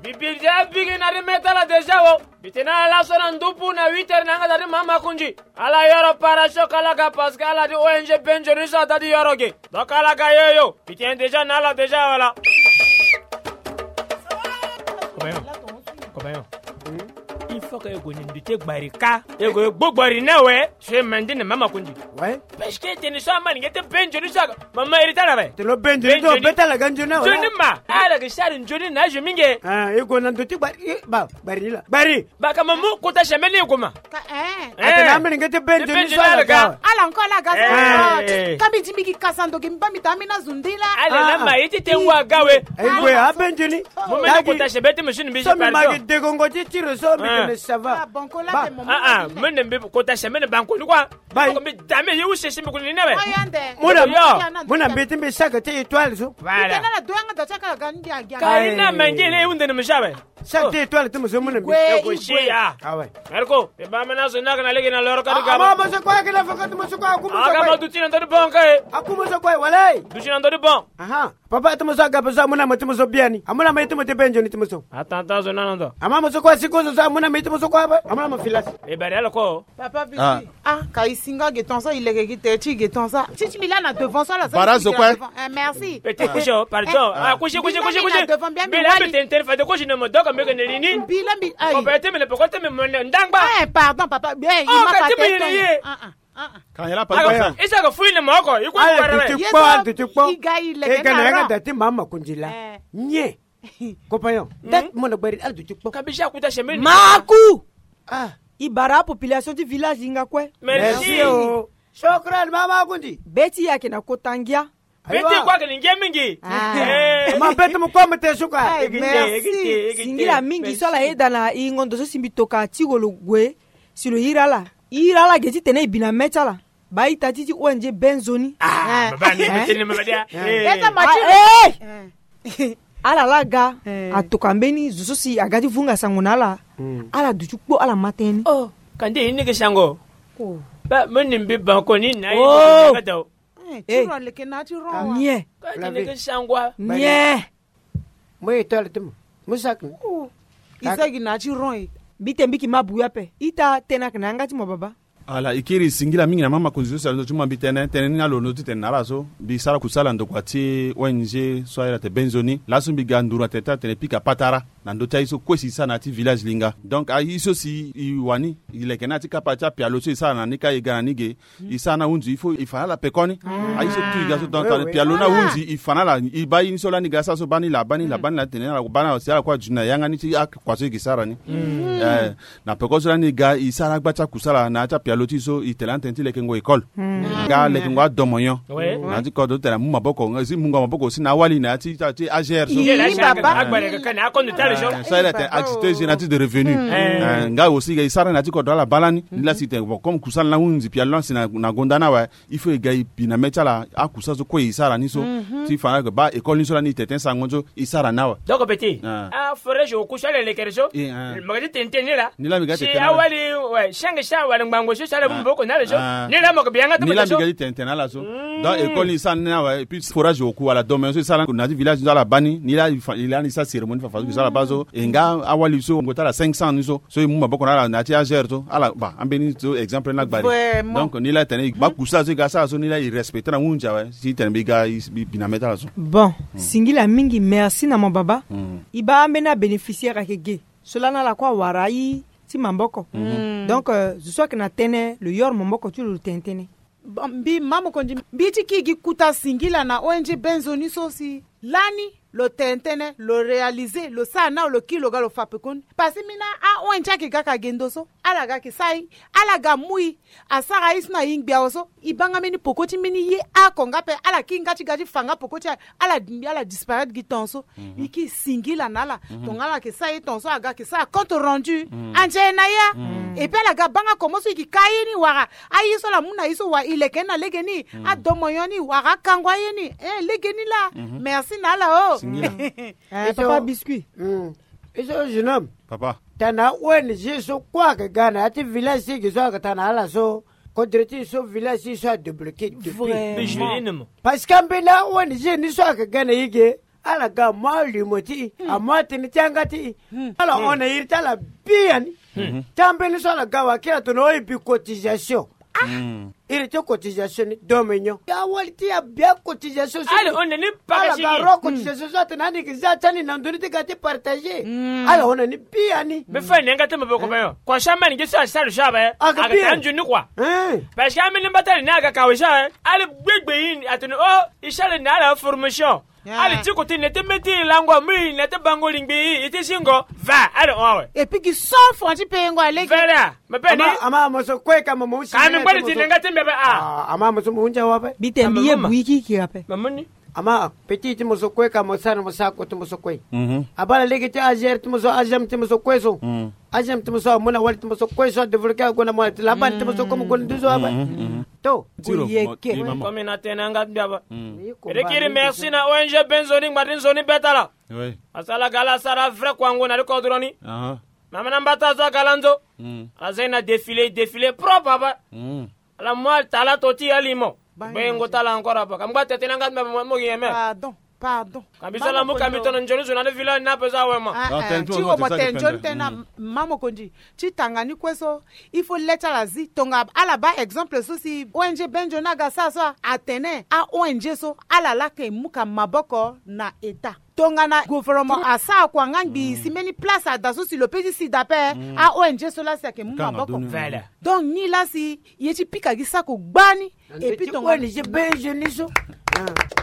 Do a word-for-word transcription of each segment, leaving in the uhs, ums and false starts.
Mbi bi ti abigi na ti me ti ala déjà o. Mbi tene ala laso na ndupu na huit heures na yanga da ti mama Makonzi. Ala yoro para so ka ala ga parce que ala ti O N G Benzoni so ada ti yoro ge. Donc ala ga yo yo. Mbi tene déjà na ala déjà wala. Copain, copain. Il faut que e gue na ndu ti gbari ka. E gue gbo gbari ni awe. So e mandi na mama Makonzi. Ouais. Parce que tene so ama ni nge ti Benzoni so aga. Mama iri ti ala awe. Tene lo Benzoni ti lo be ti ala ga nzoni awe. Nzoni ma. Ala ga sara nzoni na azo mingi. Ah, e gue na ndu ti gbari. Eh, ba, gbari ni la. Gbari. Ba ka mamu kota semaine ni e gue ma. Ka, eh. Eh. Atene ama ni nge ti Benzoni so ala ga. Ala encore ala ga. Eh. Ka mbi di mbi gi kasa ndo ge mbi baa mbi ta ambeni azo nde laa. Ala na ma ye ti tene wa ga we. E gue a Benzoni. Mo mene kota semaine ti machine mbi so mbi ma gi degongo ti tiro so mbi tene ça va. Ah, bon, ko la. Ba. Ah, ah, mene mbi kota semaine banko ni quoi. Bai. Ko mbi dame ye use simbi kuni ni awe. Mo na, mo na mbi ti mbi saka ti étoile so. Voilà. Kari na mangele e hunde ni misa awe. Saka ti étoile ti mo so mo na mbi. Igwe, igwe. Ah ouais. Marco, e ba mena so na kana lege na loro kadi gama. Ah, mo so kwa kina faka ti mo so kwa kuma so kwa. Aga ma duti na ndo di bon ka e. Akuma so kwa wala e. Duti na ndo di bon. Aha. Papa ti mo so aga pa so amuna mo ti mo so biani. Amuna mo ti mo ti Benzoni ti mo so. Atanta so na ndo. Ama mo so kwa siko so amuna mo ti mo so kwa ba. Amuna mo filas. E bari ala ko. Papa Bibi. Ah. Ah, ka e singa ge ton so, e leke gi te ti ge ton so. Ti ti mbi la na devant so ala za. Bara so kwa. Eh, merci. Petit couche, pardon. Ah, couche, couche, couche, couche. Mbi la mbi tene tene fa de couche na mo doka mbi ke ne lini. Mbi la mbi, ayi. Ko bete mbi na poko te mbi mo ndangba. Eh, pardon papa. Eh, i ma ka te. Ah, ah. Ah, ah. Kan yala pa. Isa ka fui na moko. I ko para. Duti kpo, duti kpo. I ga i leke na ra. E ga na yanga da ti mama Makonzi la. Eh. Nye. Compagnon, date mo na gbari ala duti kpo. Kabisa kuta semaine. Maku. Ah. I bara population ti village linga kue. Merci. Shukran mama Makonzi. Beti yake na kota ngia. Beti kwa ke na ngia mingi. Ah. Eh. Ma beti mo kwa mo te suka. Ay, merci. Singila mingi so ala yeda na i ngondo so si mbi toka ti golo gue si lo iri ala. Iri ala ge ti tene i bi na me ti ala. Ba ita ti ti O N G Benzoni. Ah, baba ni mete ni mama dia. Eh. Ala la ga. Eh. Atoka mbeni zo so si aga ti vunga sango na ala. Ala duti kpo ala ma tënë ni. Oh, kande ini ke sango. Oh. Ba meni mbi banko ni na ini ke sango. Eh, ti ro leke na ti ro wa. Nye. Kande ni ke sango. Nye. Mo ye tole ti mo. Mo saki ni. Oh. I saki na ti ron e. Mbi te mbi ki ma buya ape. Ita tënë ake na yanga ti mo baba. Ala, i kiri singila mingi na mama Makonzi so si alo ndo ti mo mbi tene tënë ni na lo ndo ti tene na ala so. Mbi sara kusala ndokua ti O N G so ayeda ate Benzoni. Laso mbi ga nduru na tene ti atene pika patara na ndö ti aye so kue si i sara na ya ti village linga. Donc aye so si i wani i leke na ya ti kapa ti apialo so i sara na ni ka i ga na ni ge. I sara na hunzi il faut i fa na ala pekoni. Aye so tu i ga so donc pialo na hunzi i fa na ala i baa ye ni so lani ga sara so baa ni laa baa ni laa baa ni laa tene na ala baa ni laa si ala kue aduti na yanga ni ti akua so i gi sara ni. Eh, na peko so lani ga i sara agba ti akusala na ya ti apialo ti i so i tene atene ti lekengo école. Nga lekengo adomonyon. Na ya ti kodro ti tene amu maboko nga si mungo maboko si na awali na ya ti ti A G R so. Ye la si aga agba leke ka na akondo ti ala so. Eh, so ayeda atene activité génératrice de revenu. Eh, nga aussi ga i sara na ya ti kodro ala baa lani. Ni la si tene bon comme kusala na hunzi pialo lani si na gonda ni awe. Il faut e ga e bi na me ti ala akusala so kue e sara ni so. Ti fa na ayeke baa école ni so lani e tene tënë sango ni so e sara ni awe. Donc petit, aforage oku so ala lekere so. Mo ga ti tene tënë ni la. Ni la mbi ga ti tene tënë na ala. Si awali, ouais, si ange si awali ngbangbo so si ala mu maboko na ala so. Ni la mo ga bi yanga ti mo so. Ni la mbi ga ti tene tënë na ala so. Donc école ni e sara ni awe et puis forage oku wala domaine so e sara na ya ti village ni so ala baa ni. Ni la e fa, e la ni e sara cérémonie fa fa so e sara baa so. E nga awali so ngu ti ala cinq cents ni so. So e mu maboko na ala na ya ti A G R so ala ba ambeni so exemple na gbari. Donc ni la tene e ba kusala so e ga sara so ni la e respecte na hunzi awe si tene mbi ga e bi na me ti ala so. Bon, singila mingi, merci na mo baba. E ba ambeni abénéficiaire ake ge so lani ala kue awara aye ti maboko. Donc zo so ayeke na tënë lo yoro maboko ti lo lo tene tënë. Bon, mbi mama Makonzi mbi ti kiri gi kuta singila na O N G Benzoni so si lani lo tene tënë, lo réaliser, lo sara na lo kiri lo ga lo fa pekoni. Parce que mbi na a O N G ayeke ga ka gendo so ala ga yeke sara e. Ala ga mu e. Asara aye so na e ngbi awe so e baa nga mbeni peko ti mbeni ye oko nga ape ala kiri nga ti ga ti fa nga peko ti aye. Ala dingbi ala disparaître gi temps so. E kiri singila na ala. Tongana ala yeke sara ye temps so aga yeke sara compte rendu. Anze na ya. Et puis ala ga baa nga comment so e yeke ka aye ni wala aye so ala mu na e so wala e leke ni na legeni. Adomonyon ni wala akango aye ni. Eh, legeni laa. Merci na ala o. Papa Biscuit. E so jeune homme. Papa. Tana O N G so kue ayeke ga na ya ti village ti e ge so ayeke tana ala so. Kodro ti e so village ti e so adébloqué depuis. Parce que ambeni a O N G ni so ayeke ga na e ge. Ala ga amu alimo ti e, amu atënë ti yanga ti e. Ala hon na iri ti ala biani. Ti ambeni so ala ga wakila tongana o e bi cotisation. Iri ti cotisation ni domenio ya wali ti ya bia cotisation so. Ala hon na ni paka sigi. Ala ga ro cotisation so atene ani gi za ti ani na ndoni ti ga ti partager. Ala hon na ni biani. Mbi fa ni yanga ti maboko be yo. Kua sha mani gi so asara sha be. Aga ta nzoni kua. Parce que ambeni mbata ni aga kawe sha be. Ala gbegbe ini atene o isha le na ala formation. Ala ti koti ne ti meti lango mui ne ti bango lingbi i ti singo. Va ala hon awe. Et puis gi so fon ti peyengo alege. Vela. Mabeni. Ama ama so kue ka mama usi. Ka mi ngbali ti nenga ti mbi abe a. Ama ama so mo hunja wa be. Bi te mbi ye bui kiki ape. Mamani. Ama petit ti mo so kue ka mo sara mo sa ko ti mo so kue. Abala lege ti ager ti mo so agem ti mo so kue so. Agem ti mo so amu na wali ti mo so kue so adéveloppé ago na mo ti laban ti mo so comme gon duzo abe. To. Tiro. Komi na tene anga ti mbi abe. Rikiri merci na O N G Benzoni ngbari nzoni betala. Asala gala sara vrai kua ngu na ri kodro ni. Mama na mbata zo agala nzo. Ala zai na défilé défilé propre abe. Ala mu tala to ti alimo. Bengo tala encore abe ka mgba tete na nga ti mbi abe mo gi yeme. Pardon. Pardon. Ka mbi so ala mu ka mbi tono nzoni zo na ni village na ape so awe ma. Ti wo mo tene nzoni tene na ma mokonzi. Ti tanga ni kue so. Il faut le ti ala zi tonga ala baa exemple so si O N G Benzoni aga sara so atene a O N G so ala lake mu ka maboko na état. Tongana gouvernement asara kua nga ngbii si mbeni place ada so si lo pe ti sida ape. A O N G so laa si ayeke mu maboko. Donc ni laa si ye ti pika gi sako gbani. Et puis tonga O N G Benzoni so.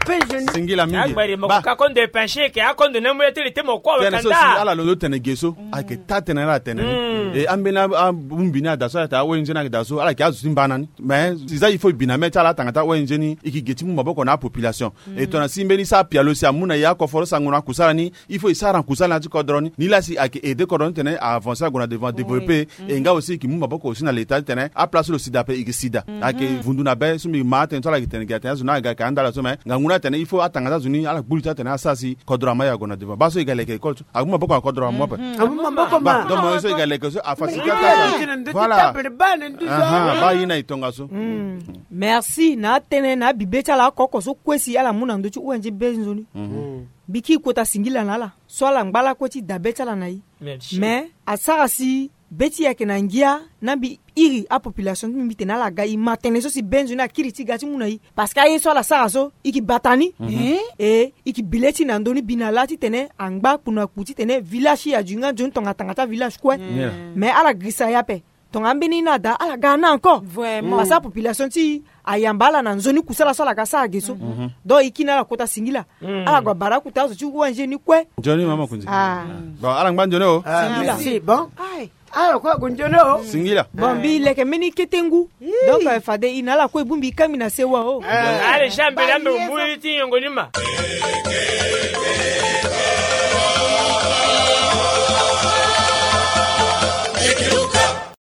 Benzoni singila mingi. Agbari mo ka kondo e penche ke akondo na mo ye ti li ti mo kue awe kanda. Ala lo tene ge so ayeke taa tënë ni ala tene ni. E ambeni abongbi ni ada so ala yeke daa O N G ni ayeke daa so ala yeke azo ti mbana ni. Mais si za il faut e bi na mê ti ala atanga ti a O N G ni e yeke ge ti mu maboko na apopulation. E tongana si mbeni sara pialo si amu na e akoforo sango na kusala ni. Il faut e sara na kusala na ya ti kodro ni ni laa si ayeke aide kodro ni titene a avancer ague na devant développé. E nga aussi e yeke mu maboko aussi na leta titene aplace so lo sida ape e yeke sida. Ayeke vundu na be so mbi ma atene so ala yeke tene gi atene azo ni aga ayeke andala so mais ngangu ni atene il faut atanga ti azo ni ala gbu li ti atene asara si kodro ama e ague na devant baa so e ga leke école so amu maboko na kodro amu ape. Amu maboko ma. Donc mo ye so e ga leke so afacilité ata. Voilà. Baa ye na e tongaso. Merci na atënë na abibe ti ala oko oko so kue si ala mu na ndö ti O N G Benzoni. Mbi kiri kota singila na ala so ala ngba lakue ti dabe ti ala na e. Mais asara si be ti e ayeke na ngia na mbi iri apopulation ti mbi mbi tene ala ga e ma tënë so si Benzoni akiri ti ga ti mu na e. Parce que aye so ala sara so e yeke bata ni. E e yeke bi le ti na ndö ni bi na laa titene angba kpu na kpu titene village ti e adu nga nzoni tonga tanga ti avillage kue. Mais ala girisa e ape. Tonga ambeni ni ada ala ga na encore. Parce que apopulation ti e ayamba ala na nzoni kusala so ala ga sara ge so. Donc e kiri na ala kota singila. Ala gue abara akuta azo ti O N G ni kue. Nzoni mama kunzi. Bon ala ngba nzoni o. Singila. Bon. Ala kue ague nzoni o. Singila. Bon mbi leke mbeni kete ngu. Donc fade e na ala kue e bongbi e kangbi na sewa o. Ala ja mbela mbe mu ye ti nyongo ni ma.